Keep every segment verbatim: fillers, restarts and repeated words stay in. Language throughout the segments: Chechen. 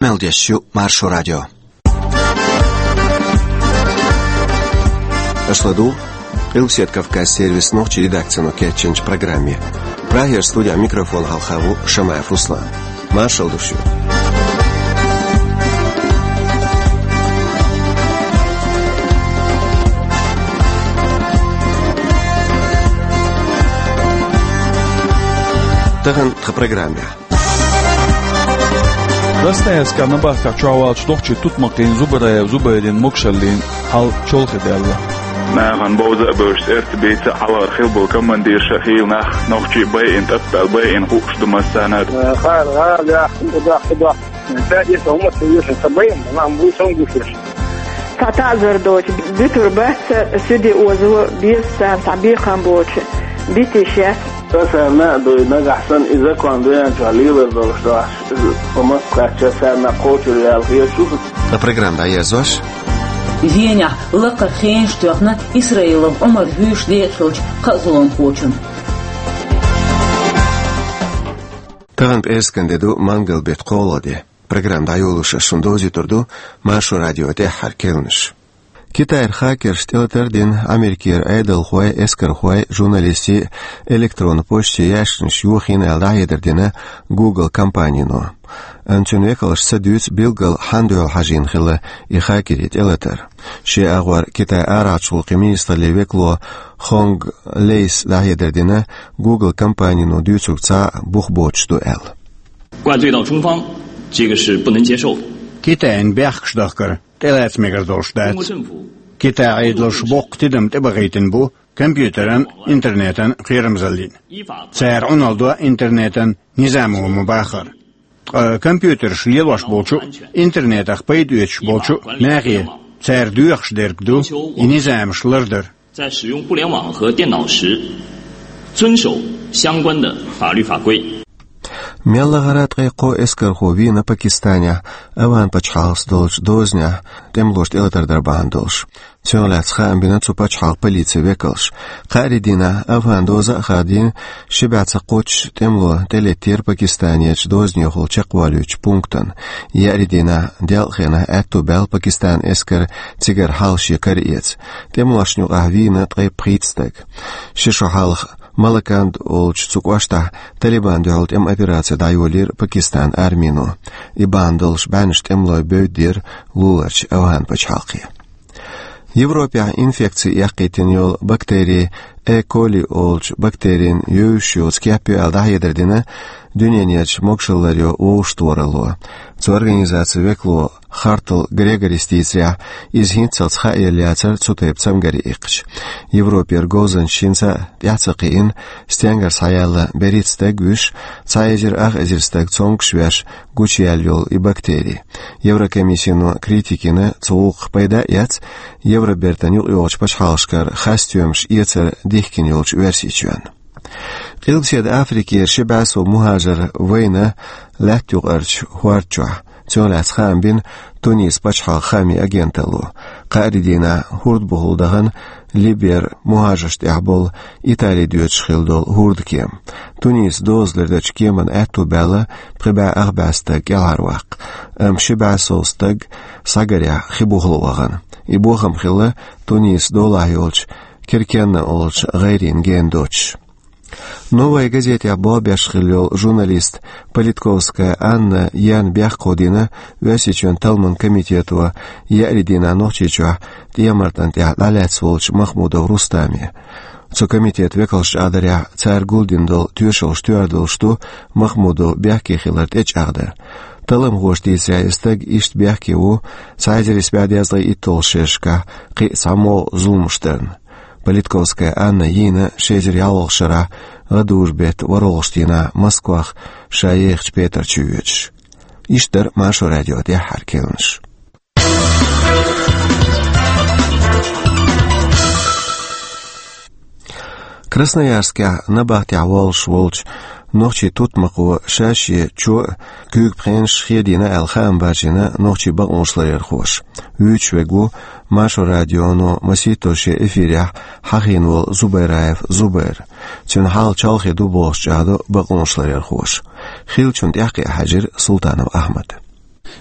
Мел деш ю Маршо радио. Аша ладугӀу Къилбаседа Кавказ сервисан нохчийн редакцино кечйинчу программе. Прагера студехь микрофон хьалха ву Шамаев Руслан. Маршалла ду шуьга. Тахана тхан программехь. Красноярскехь набахтехь чохь волчу нохчийн тутмакхийн Зубараев Зубайрин могушаллин хьал чолхе даьлла. Нахана бовза а бевзаш, цӀерца бийца а, хьалхара хилла болу командирша а хийла нах, нохчий а байина, тӀатбаьлла байина хууш ду массарна а. Хара гӀала яхна, даха, даха. Ца эца хӀума ца вешан, ца байина, нах буй сон гуш веш. Цхьа таӀзар доцу, буьтур бац, суьде озо беза царна, цхьа бекхам боцу, битиш яц. Сан царна а дуй, нагахь санна и закон дуьнен чохь лелар долуш дахьаш, иза по Москве кхачча царна кхочур яла хеташ ву. Ткъа программа дӀаерзош. Венехь лакхара хенаш тоьхна Исраилов Ӏумар вуьйш декъахь хиллачу кхаа зуламхочун. Тахана пӀераскан де ду, мангал беттан кхоалгӀа де. Программа дӀайолош ас шуна довзуьйтур ду Маршо радион тӀаьххьара керланаш. Китайра хакерша тӀелатар а дина Америкера Ӏедалхой, эскархой, журналистий а электронан почте яьшканаш йохийна аьлла дӀахьедар дина Google компанино. Амма цуьнан векалша ца дуьйцу билггал хьанна дуьхьал хьажийна хилла и хакерийн тӀелатар. Шен агӀор Китайн арахьарчу гӀуллакхийн министраллин векало Хонг Лейс дӀахьедар дина Google компанино дуьйцург цхьа а бух боцуш ду аьлла. 怪罪到中方，这个是不能接受的。 Китайна бехкаш дахкар тӀелаца мегар долуш дац. Китайн Ӏедалша боккха тидам тӀебахийтина бу компьютеран, интернетан кхерамзаллина. Цара Ӏуналла до интернетан низамо ма-баххара. Ткъа компьютераш лелош болчу а, интернетах пайда оьцуш болчу а нахе цара доьхуш дерг ду и низамаш лардар. 在使用互联网和电脑时，遵守相关的法律法规。 Мел лахара ткъе кхо эскархо вийна Пакистанехь, Афган пачхьалкхаца долчу дозанехь тӀемалошна тӀелатар дар бахьана долуш. Цунах лаьцна хаам бина цу пачхьалкхан полицин векалша. Кхаарин дийнахь Афган доза а хадийна, ши бӀе цхьа кхоччуш тӀемало тӀелеттера Пакистанерчу дозанехула чекхвалуьйтучу пунктана. Еарин дийнахь делкъа хенахь аьтту баьлла Пакистанан эскар цигара хьалха шен кара эца. ТӀемалошна юкъахь вийна ткъе пхийтта стаг. Ши шо хьалха Малаканд олучу цу кӀоштахь Талибан дуьхьал тӀеман операци дӀайолийра Пакистанан армино. И бахьана долуш бӀеннаш тӀемалой бевддера луларчу Афган пачхьалкхе. Европехь инфекци эккхийтина йолу бактери Э. коли олучу бактерин евзаш йоцу кеп ю аьлла дӀахьедар дина дуьненерчу могушалларан вовшахтохаралло. Цу организацин векало Хартл Грегорис дийцарехь, иза хӀинццалц хааелла яцара цу тайпа цамгаре иккхича. Европера говзанчаш хӀинца а тӀаьхьа ца кхиийна, стенгара схьаяьлла берхӀитта стаг вуьйш, цхьа эзар ах эзар стаг цомгуш веш гучуяьлла йолу и бактери. Еврокомиссино критика йина цу гӀуллакхах, пайда а эцна, Евробертан юкъайогӀучу пачхьалкхашкара хасстоьмаш эцар дихкина йолчу Оьрсийчоьнна. Къилбаседа Африкера ши бӀе сов мухӀажар вайна лаьтта юкъарчу хӀорда чохь. Цунах лаьцна хаам бина Тунис пачхьалкхан хаамийн агенталло. Кхаарин дийнахь хӀордбухахула дахана Либера мухӀажаршна тӀехь болу Итали доьдуш хилла долу хӀордкема. Тунисо дозалур дечу кеманна аьтту баьлла пхи бӀе ах бӀе стаг кӀелхьарваккха. Амма ши бӀе сов стаг схьагарехь хи бухахула вахана. И бохам хилла Тунисо долахь йолчу Киркенна олучу гӀайрина гена доцуш. «Новая газетехь» болх беш хилла йолу журналист Политковская Анна Ян бехк кховдийна Оьрсийчоьнан талламан комитето еарин дийнахь Нохчийчохь ТӀехьа-МартӀан тӀехь дӀалаьцна волчу Махмудов Рустаме. Цу комитетан векалша чӀагӀдарехь, цара гулдина долу тоьшалла тоьар долуш ду Махмудов бехке хилар тӀечӀагӀдар. Талламхоша дийцарехь, и стаг иштта бехке ву цхьа эзар исс бӀе дезткъе итталгӀачу шерашкахь кхин а цхьа могӀа зуламаш дарна. Политковская Анна йийна ши эзар ялхалгӀачу шарахь гӀадужу беттан ворхӀалгӀачу дийнахь Москвах ша ехачу петар чу йоьдуш. Иштта дара Маршо радион тӀаьххьара керланаш. Красноярскехь набахтехь воллуш волчу нохчийн тутмакхо ша-шен чо а, куьйга пхенаш а хедийна аьлла хаам баржийна нохчийн бакъонашларъярхоша. Вуьйцуш верг ву Маршо радионо масийттаза шен эфирехь хьахийна волу Зубайраев Зубайр. Цуьнан хьал чолхе ду бохуш чӀагӀдо бакъонашларъярхоша. Хиллачунна тӀаьхкхиа хьаьжира Султанов Ахьмада.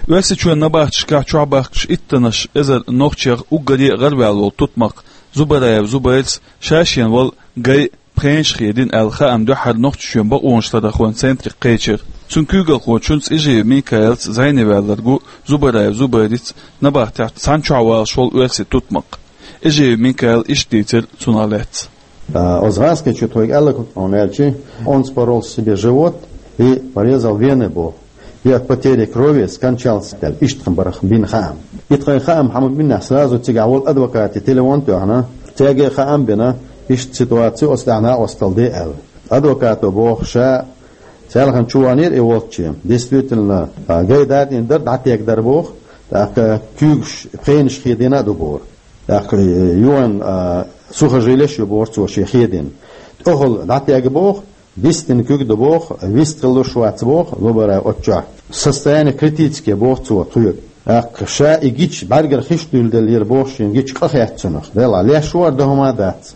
Оьрсийчоьнан набахташкахь чохь баьхкинчу иттаннаш эзар нохчех уггаре а гӀараваьлла волу тутмакх Зубараев Зубайрас ша-шена волу гай пхенаш хедина аьлла хаам дуьххьара Нохчийчоьнан бакъонашларъярхойн центре кхечира. Цуьнан куьйгалхочуьнца Эжиев Микаилца зӀене ваьлларг ву Зубараев Зубайрца набахтехь цхьаьна чохь валош волу оьрсийн тутмакх. Эжиев Микаила иштта дийцира цунах лаьцна. А, оцу гӀазкхичо тхоьга аьлларг хӀун ду аьлча, он спорол себе живот и порезал вены боху. И от потери крови скончался аьлла, иштта тхан бара бина хаам. И тхан хаам хьан бинехь сразу цигахь волу адвокате телефон тоьхна, цаьрга хаам бина, иштта ситуаци оцу тӀехь накъосталла де аьлла. Адвокато боху ша, цаьргахь чу вахнера и волчу, действительно, а, гай датӀийна дара, дӀатегна дара боху, тӀаккха куьйгаш, пхенаш хедийна а ду боху. ТӀаккха, э, юан, а, сухожилеш ю боху цо шен хедийна. ТӀехула дӀатегна боху, вистина куьг ду боху, вист хилла вац боху, Зубараев оцу чохь. Состояние критическое боху цо тхоьга. ТӀаккха ша и гича бӀаьргара хиш дуьйладеллера боху шен гича къа хецна цунах. Делахь леш вара дан хӀума дац.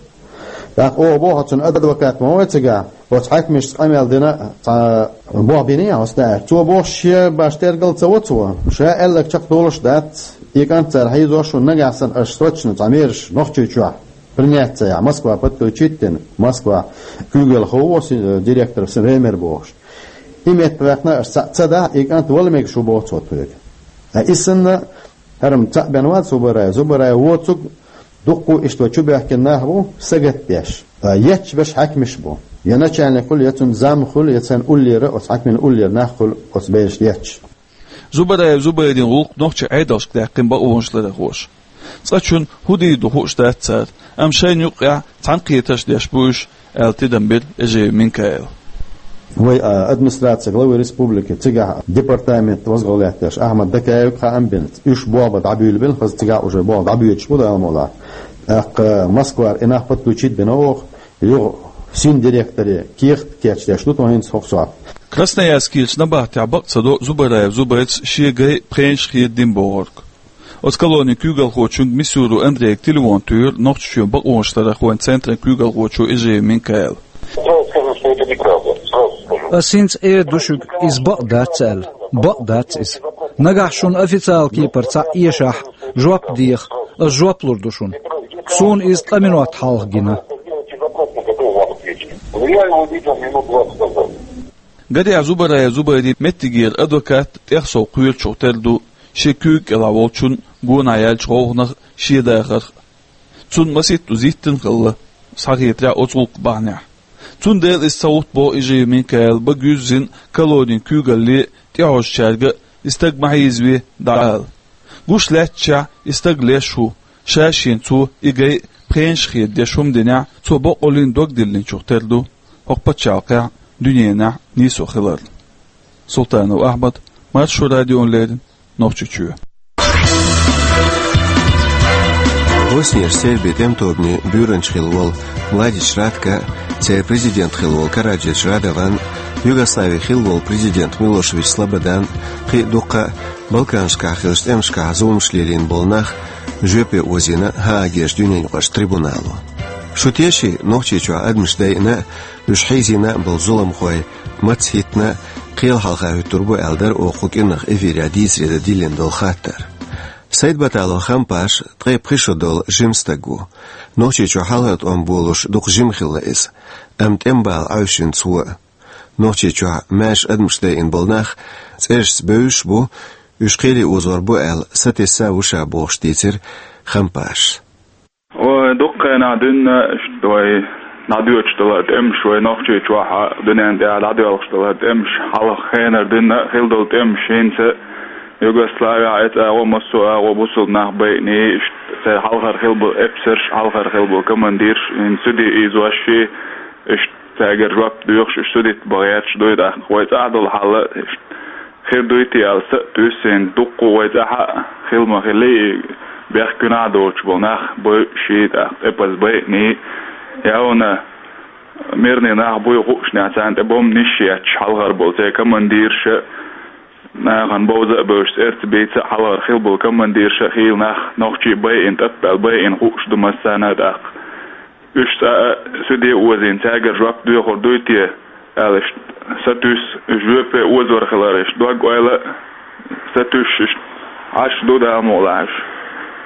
ТӀаккха оха боху цуьнан адвокат ма вай цигахь, оцу хьаькамашца къамел дина, цхьа боху бина я хьо стаьа. Цо боху шен баш тергал ца во цо. Ша аьлларг чекхдолуш дац, и кӀант цара хьийзош ву нагахь санна аша срочно цхьа мераш Нохчийчохь принять ца яхь, Москва подключить дина, Москва куьйгалхо ву оцу, э, директор Ремер бохуш. И метта ваьккхина аша ца, ца дахь, и кӀант вала мегаш ву боху цо тхоьга. Ткъа и санна, хӀара-м цхьаъ бен вац Зубараев. Зубараев воцург дуккха иштта вай чу баьхкина нах бу, сагатдеш. Ткъа етташ берш хьаькамаш бу. Я начальник хуьлу, я цуьнан зам хуьлу, я царна уллера, оцу хьаькамийн уллера нах хуьлу оцу бераш етташ. Зубараев Зубайрин гӀуллакх нохчийн Ӏедалшка даьккхина бакъонашларъярхоша. Цкъачунна хӀун дийр ду хууш дац цара, амма шайна юккъехь цхьаьнакхетарш деш бу уьш, аьлла тидам бира Эжиев Микаила. Вай, а, администрация главы республики, цигахь департамент возглавлять деш Ахьмад Дакаевга хаам бина, уьш болх бан дӀабуьйлабелла, хаза цигахь уже болх дӀабоьдуш бу, Дала мукъ лахь. ТӀаккха Москвара и нах подключить бина оха, юха син директоре кехат кечдеш ду тхо хӀинца хӀокху сохьта. Красноярскерчу набахтехь бакъ ца до Зубараев Зубайрас шен гай пхенаш хедина бохург. Оцу колонин куьйгалхочуьнга Мисюров Андрейга телефон туьйхира Нохчийчоьнан бакъонашларъярхойн центран куьйгалхочо Эжиев Микаила. Сразу скажу, что это неправда. Сразу скажу. Ас хӀинца эр ду шуьга, иза бакъ дац аьлла. Бакъ дац иза. Нагахь шуна официал кепара цхьаъ эшахь, жоп деха, ас жоп лур ду шуна. Суна иза ткъа минот хьалха гина. Я его видел минут двадцать назад. Гарехь, Зубараев Зубайрин меттигера адвокат тӀех сов кхоьручух тера ду шен куьйга кӀелахь волчун гонах яьллачу гӀовгӀанах, шен дахарх. Цунна масийтта узиттина хилла, схьахетарехь, оцу гӀуллакх бахьанехь. Цундела иза ца гӀутту боху Эжиев Микаила, бага юьззина колонин куьйгалле тӀехьожучаьрга и стаг ма хьийзаве дӀаала. Гуш лаьттачохь и стаг леш ву, ша-шена цо и гай пхенаш хедеш хӀума динехь, цо боккъаллин дог диллинчух тера ду хӀокху пачхьалкхехь, дуьненахь нийсо хиларна. Султанов Ахьмад, Маршо радиона леррина, Нохчийчоь. Боснияш Сербин тӀеман тобанан буьйранча хилла волу Младич Ратко, церан президент хилла волу Караджич Радован, Югослави хилла волу президент Милошевич Слободан, кхин а дуккха а Балканашкахь хиллачу тӀемашкахь зуламаш лелийна болу нах жоьпе озийна Гаагерчу дуьненаюкъарчу трибунало. Шу теший, Нохчийчохь адамаш дайъина а, уьш хьийзийна а болу зуламхой маца хӀиттина а кхел хьалха хӀуьттур бу аьлла дара оха кху кӀиранах эфирехь дийцаре дан диллина долу хаттар. Сайд-Баталов Хампаш ткъе пхи шо долу жима стаг ву. Нохчийчохь хьалхара тӀом болуш дукха жима хилла иза, амма тӀеман бала Ӏовшина цо а. Нохчийчохь маьрша адамаш дайъина болу нах цӀерашца бевзаш а бу, уьш кхеле озор бу аьлла сатесса а ву ша бохуш дийцира Хампашас. Вай дуккха хенахь дуьйна, иштта вай дӀадоьдуш далара тӀемаш, вай Нохчийчохь а, дуьнен тӀехь дӀадоьлхуш далара тӀемаш, хьалха хенара дуьйна а хилла долу тӀемаш, хӀинца а Югославехь, эцу агӀо, массо а агӀо бусулба нах байъиний, иштта церан хьалхара хилла болу эпсарш, хьалхара хилла болу командирш, хӀинца суде ийзош, иштта цаьргара жоп доьхуш, уьш судитта бан гӀерташ дуй тӀаккха. Вай цӀахь долу хьал а иштта хир дуй те аьлла са а туьйсу, дуккха а вай цӀахь а хилла ма-хиллий, бехк куьнахь доцуш болу нах бойъуш, тӀаккха эпсар байъиний, явна мирный нах буй хуушехь, царна тӀе бомбанаш а етташ, хьалхара болу церан командирш а, нахана бовза а бевзаш, цӀерца бийца а, хьалхара хилла болу командирш а, хийла нах, нохчий а байъина, тӀатбаьлла байъина хууш ду массарна а тӀаккха. Уьш цӀа а суде озийна, цаьргара жоп доьхур дуй те аьлла, иштта сатуьйсу, уьш жоьпе озор хилар, иштта дог-ойла а Ца туьйсуш, Ӏаш ду Дала мукъалахь уьш.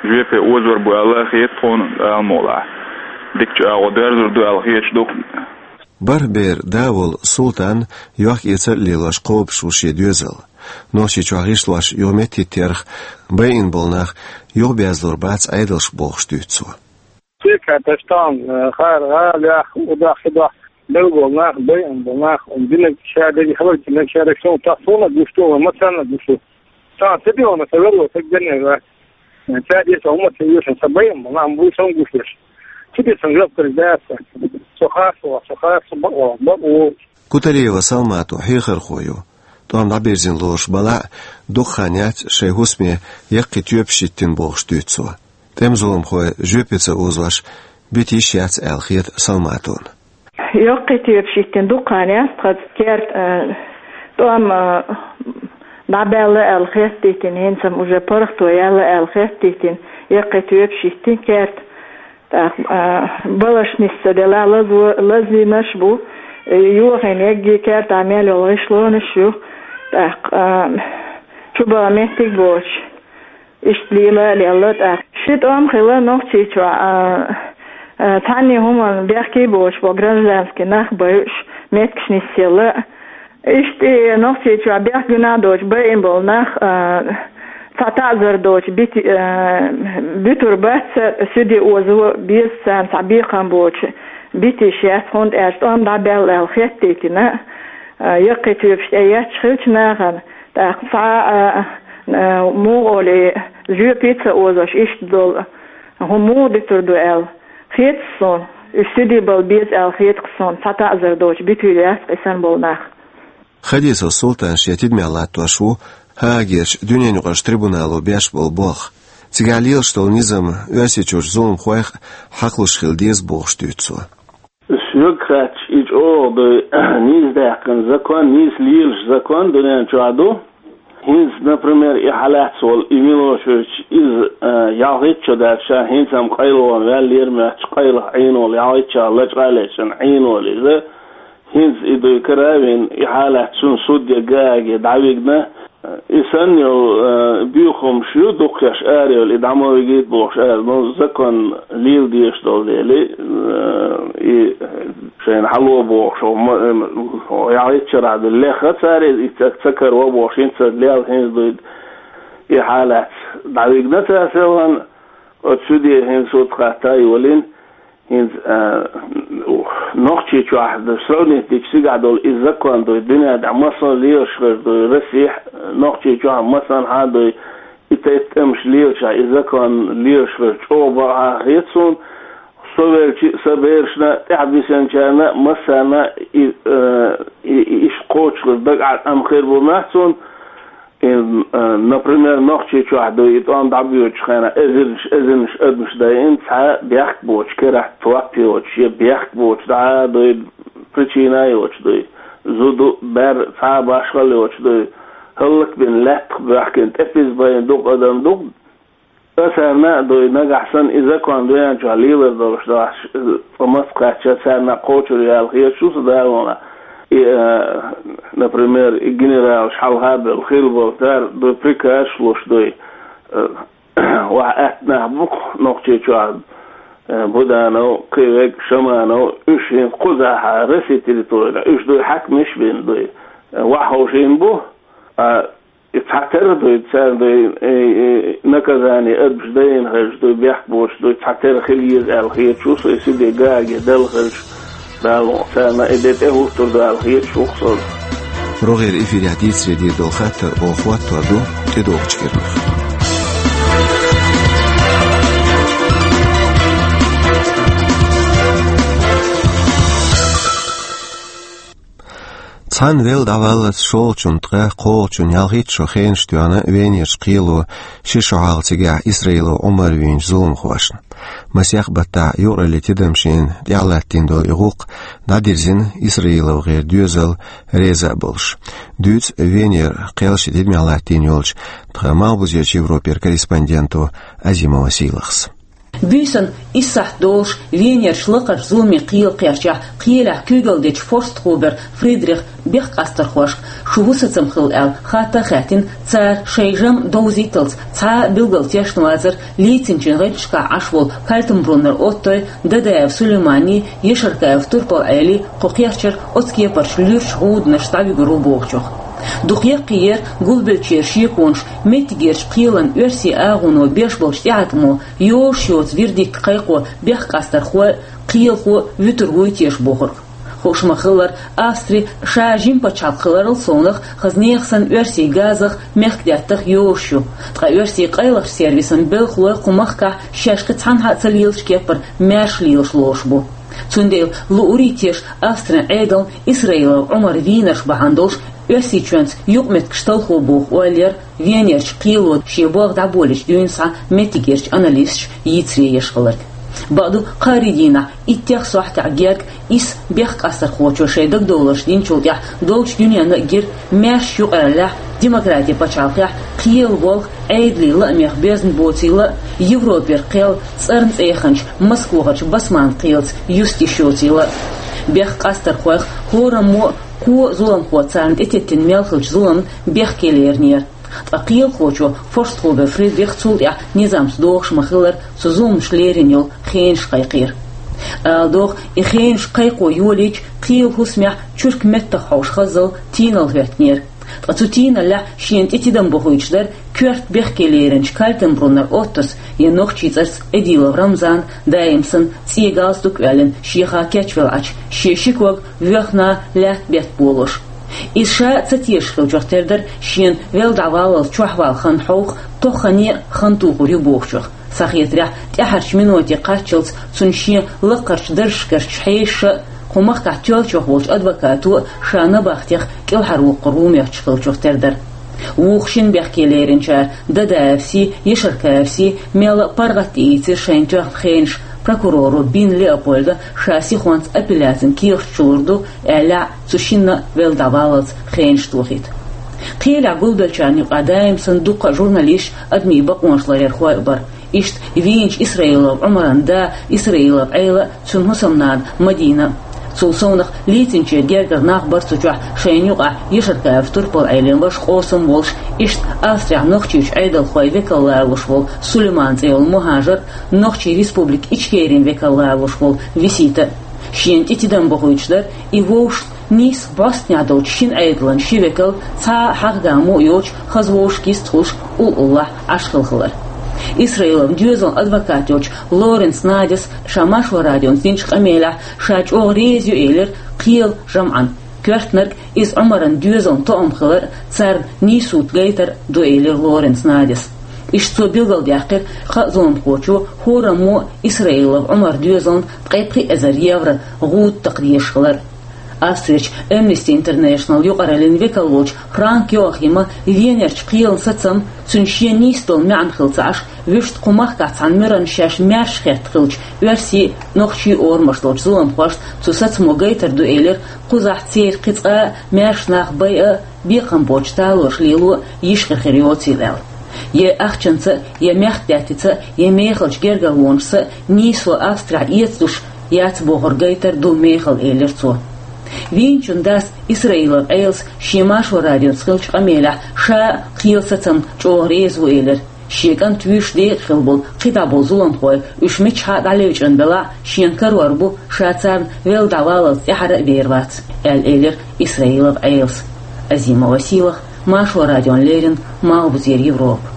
Жоьпе озор бу аьлла хета тхуна Дала мукъалахь. Дикачу агӀо доьрзур ду аьлла хеташ ду. Бархьа бер да волу Султан йохк-эцар а лелош кхобуш ву шен доьзал. Нохчийчохь гӀишлош юха меттахӀиттерах байина болу нах юхабаьзлур бац Ӏедалш бохуш дуьйцу цо. Цекаташ тахана хара гӀалех, удах, хидах, белла болу нах, байина болу нах, динарг ша дерг, хабар динарг ша дерг, сон тахана гуш ду, вай массарна гуш ду. Сан ца бегӀана, сан вело, сан генера. Ца деш, хӀума ца йоьшан, сан байам, нах буй сан гуш деш. Ца деш, сан жоп кхарж дац. Со хасо, со хасо, бакъо, бакъо. Куталиева Салмато хьехархо ю. ТӀом дӀабирзина лоруш балахь а, дукха хан яц шайн хӀусаме яккхий тоьпаш йиттина бохуш дуьйцу цо. ТӀеман зуламхой жоьпе ца озош, битийш яц аьлла хета Салматона. Яккхий тоьпаш йиттина дукха хан яц тхан керта, а, тӀом, а, дӀабаьлла аьлла хеттийтина, хӀинца-м уже паргӀато яьлла аьлла хеттийтина, яккхий тоьпаш йиттина керта. ТӀаккха, а, балаш нисса делла лазо-, лазийнарш бу, э, йохийна егги керта мел йолу гӀишлонаш ю. ТӀаккха, а, чубан меттиг боцуш. Иштта лела а лелла тӀаккха. Ши тӀом хилла Нохчийчохь, а, а, цхьанне хӀуманна бехке боцуш болу гражданский нах байуш, меттигаш нисъелла. Иштта и Нохчийчохь бехк гуьнахь доцуш байина болу нах, а, цхьа таӀзар доцуш бити-, а, буьтур бац, суьде озо беза царна цхьа бекхам боцуш битийш яц, хӀунда аьлча тӀом дӀабаьлла аьлла хеттийтина, а, яккхий тоьпаш тӀеетташ хиллачу нахана. ТӀаккха цхьа а, а, муха олий, жоьпе ца озош иштта долу хӀума муха дуьтур ду аьлла хета суна. Уьш суьде бала беза аьлла хета суна, цхьа таӀзар доцуш буьтур яц-кх и санна болу нах. Хадисов Султан шен тидамехь латтош ву Гаагерчу дуьненаюкъарчу трибунало беш болу болх. Цигахь лелаш долу низам Оьрсийчуьрчу зуламхойх а хьакхалуш хила деза бохуш дуьйцу цо. Соьга хаьттича, и чӀогӀа ду, нийса даьккхина закон, нийса лелаш закон дуьнен чохь ду. ХӀинца, например, и хьалаьцна волу и Милошевич, иза, а, ялхитта шо даьлча, ша хӀинца-м къайлаван ваьллера моьттуш, къайлаха Ӏийна волу, ялхитта шо лачкъа а лечкъина Ӏийна волу иза. ХӀинца и дуй кара а вина, и хьалаьцна цунна судья Гааге дӀавигна, и санна йолу, э, буьйхамаш ю, дукхахьаш ара йолу, и дӀа ма вигийта бохуш ара, ну, закон лела дезаш долу дела, э, и шайна хьало бохуш, хӀо ма-, э, хӀо яхьийтчарахь ду, леха цара иза, и ца, ца каро бохуш, хӀинца лела хӀинца дуй, и хьалаьцна дӀавигна цара селхана, оцу суьде хӀинца суд хатта а йолийна, ХӀинца, а, Нохчийчохь ду, сравнить дича, цигахь долу и закон ду, дуьнен тӀехь массо а лелаш хир ду, Россехь, Нохчийчохь массанхьа а ду, и тайпа тӀемаш лелаш, и закон лелаш хир чӀогӀа бакъахьа хета суна, со велча а, сан берашна а, тӀаьхьа бисинчарна а, массарна а и, а, и, и иштта кхочушхуьлуш дагахь тӀам хир бу моьтту суна, И, э, например, Нохчийчохь ду, и тӀом дӀабоьдучу хенахь эзарнаш, эзарнаш адамаш дайина, цхьа бехк боцуш, керахь топ йоцуш, я бехк боцуш, дӀа а дуй, причина а йоцуш дуй, зуда а, бер а, цхьа а башхалла йоцуш дуй, хӀаллакбина лаьттах боьхкина, тӀепиза байна дукха адам ду. Царна а дуй, нагахь санна и закон дуьнен чохь лелар долуш дахьаш, цкъа маца кхаьчча, царна а кхочур яла хеташ ву со далонахь. И, э, например, и генералаш хьалха а белла, хилла болу цара дуй, приказ луш дуй. Э, ваха атта нах бу-кх Нохчийчохь, э, Буданов, кхин верг Шаманов, уьш хӀинца кхузахь Россия территорина, уьш дуй хьаькамаш бина дуй. Э, ваха ховшийна бу, а И цхьатерра дуй, царна дуй, и, и, наказание адамаш дайна хезаш дуй, бехк боцуш дуй, цхьатерра хила еза аьлла хеташ ву со, и суьде Гааге делла хезаш, Дала мукъ лахь, царна и де тӀехӀуттур ду аьлла хеташ ву-кх со. РогӀера эфирехь дийцаре дийр долу хаттар оха хӀоттор ду тӀедогӀучу кепара. Цхьана велла дӀаваллалц шолгӀачунна ткъа кхоалгӀачунна ялхитта шо хенаш тоьхна Венерчу кхело ши шо хьалха цигахь Исраилов Ӏумар вийначу зуламхошна. Масех баттахь юкъараллин тидамашна тӀехь латтийна долу и гӀуллакх дӀадирзина ИсраиловгӀеран доьзал реза а болуш. Дуьйцу Венера кхел шен тидамехь латтийна йолчу тхан Малхбузерчу Европера корреспонденто Азимова Сийлахьас. Буьйсанна исс сахьт долуш Венерчу лакхарчу зуламийн кхелан кхерчехь кхелехь куьйгалла дечу форстхобер Фридрих бехккъастархошка шу хӀун сацам хилла аьлла хатта а хаьттина, цара шайн жамӀ довзийталц цхьа а билггал тешна вацара лийцинчийн гӀиллакхашкахь Ӏаш волу Кальтенбруннер Оттой, Дадаев Сулейманий, Ешаркаев Турпал-Ӏелий кху кхерчара оцу кепарчу луьрачу гӀуданашца дӀавуьгур ву бохучух. Дукха яккхий яра гулбеллачеран шеконаш меттигерчу кхелан оьрсийн агӀоно беш болчу тӀеӀаткъамо йозуш йоцу вердикт кхайкхо бехккъастархой, кхелахой вуьтур вуй теша бохург. Хууш ма-хиллара, Австри ша жима пачхьалкх хиларал совнах хаза нехан санна оьрсийн газах, мехкдаьттах йозуш ю, ткъа оьрсийн къайлахчу сервисан белхалой кху махкахь шаьш кхин цхьанхьа а ца лелачу кеппара маьрша лелаш лоруш бу. Цундела луурий теша Австрин Ӏедална Исраилов Ӏумар вийнарш бахьана долуш Оьрсийчоьнца юкъаметтигаш талхо боху ойла яра Венерчу кхело шен болх дӀаболийчу дуьйна схьа меттигерчу аналисташа йийцаре еш хилларг. Бакъду, кхаарин дийнахь иттех сохьтехь герга исс бехккъастархочо шайн дагадовларш динчул тӀаьхьа долчу дуьненна а гира маьрша юкъараллехь, демократин пачхьалкхехь кхелан болх Ӏедалан лаамех безна боцийла а, Европера кхел цӀарна цӀеханчу Москвахарчу басманан кхелаца юста йиш йоцийла а. Бехккъастархойх хӀораммо а, кхо а зуламхо царна тӀететтина мел хиллачу зуламна бехке леринера. Ткъа кхелахочо, форстхобер Фридрих, цул тӀаьхьа низамца догӀуш ма-хиллара, цу зуламаша лерина йолу хенаш кхайкхийра. Ала догӀу, и хенаш кхайкхо йолийча, кхелан хӀусамехь чурк меттах хьовш хаззал тийналла хӀоьттинера. Ткъа цу тийналлехь шена тӀе тидам бохуьйтуш дара коьрта бехке леринчу Кальтенбруннер Оттос я нохчийн цӀарца Эдилов Рамзан, даим санна цӀен галстук а оьллина, шеха кечвелла Ӏачу, шен ши ког воьхна лаьтта бетта болуш. Иза ша а ца тешаш хиллачух тера дара шена велла дӀаваллалц чохь вала хан хьовха тоххане а хан тухур ю бохучух. Схьахетарехь, тӀаьхьарчу миноте кхаччалц цунна шен лакхарчу даржашкарчу хьешаша а, кху махкахь тоьллачух волчу адвокато а ша набахтех кӀелхьарвоккхур ву моьттуш хиллачух тера дара. Вукху шина бехке леринчара, Дадаевсий, Ешаркаевсий, мелла а паргӀат тӀеийцира шайна тоьхна хенаш, прокуроро Бин Леопольда ша сихонца апелляцин кехат чу лур ду, аьлла, цу шинна а велла дӀаваллалц хенаш тохийта. Кхелехь гулбеллачарна юкъахь даим санна дуккха а журналисташ, адамийн бакъонаш ларъярхой а бара. Иштта вийначу Исраилов Ӏумаран да Исраилов Ӏела а, цуьнан хӀусамнана Мадина а. Цул совнах лийцинчеран гергара нах бара цу чохь шайна юкъахь Ешаркаев Турпал-Ӏелин ваша къосам волуш, иштта Австрехь нохчийн Ӏедалхойн векал лоруш волу Сулейман цӀе йолу мухӀажар, Нохчийн Республика Ичкерин векал лоруш волу Висита а. Шена тӀе тидам бохуьйтуш дара и вовшашна нийсса бӀостанехь долчу шина Ӏедалан ши векал, цхьа а хьагӀ-гамо а йоцуш, хаза вовшашка йистхуьлуш, уллохь Ӏаш хилла хилар. Исраиловн доьзалан адвокат йолчу Лоренц Надяс ша Маршо радионца динчу къамелехь ша чӀогӀа реза ю элира кхелан жамӀан коьртаниг, иза Ӏумаран доьзална тоам хилар а, царна нийсуьйту гайтар а ду, элира Лоренц Надяс. Иштта цо билгалдаьккхира, кхаа зуламхочо хӀораммо а Исраилов Ӏумаран доьзална ткъе пхи эзар евро гӀуда такха дезаш хилар а. Австрерчу Amnesty International юкъараллин векал волчу Франк Йоахима Венерчу кхелан сацам, цуьнан шен нийса долу маьӀна хилла ца Ӏаш, вуьшта кху махкахь цхьана муьрана шаьш маьрша хетта хиллачу оьрсийн а, нохчийн а орамаш долчу зуламхошна цу сацамо гайтар ду элира, кхузахь церан кхин цкъа а маьрша нах байа а, бекхам боцчу талораш лело а йиш хир-хир йоцийла аьлла. Я ахчанца а, я мехкдаьттица а, я мехалчу гергарлонашца а нийсо Австрехь эцалуш яц бохург гайтар ду мехала, элира цо. Вийначун дас Исраилов Ӏелас шен Маршо радионца хиллачу къамелехь ша а кхелан сацамна чӀогӀа реза ву элира. Шен кӀант вуьйш декъа хилла болу кхидӀа болу зуламхой, уьш миччахьа а дӀалевчӀина белахь а, шена карор бу, ша царна велла дӀаваллалц тӀаьхьара а вер вац, аьлла элира Исраилов Ӏелас. Азима Василах, Маршо радиона леррина, Малхбузера Европа.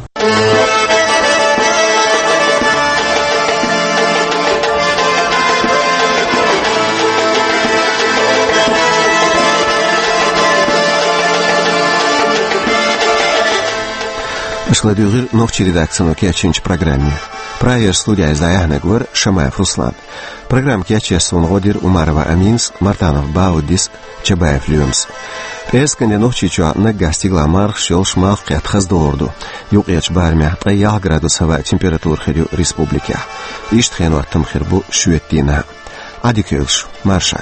Аша ладуьйгӀира нохчийн редакцино кечйинчу программе. Прагера студехь иза дӀаяьхьнарг вара Шамаев Руслан. Программа кечъеш суна гӀо дира Умарова Аминас, Мартанов Бауддис, Чабаев Лоьмас. Пхьарскан де Нохчийчохь наггахь стигалахь мархаш йолуш, малх кхетта хаза догӀур ду. Юккъерчу барамехь ткъе ялх градус хӀаваан температура хир ю республикехь. Иштта хенан хӀоттам хир бу шоьтан дийнахь. Ӏадика йойла шун, марша.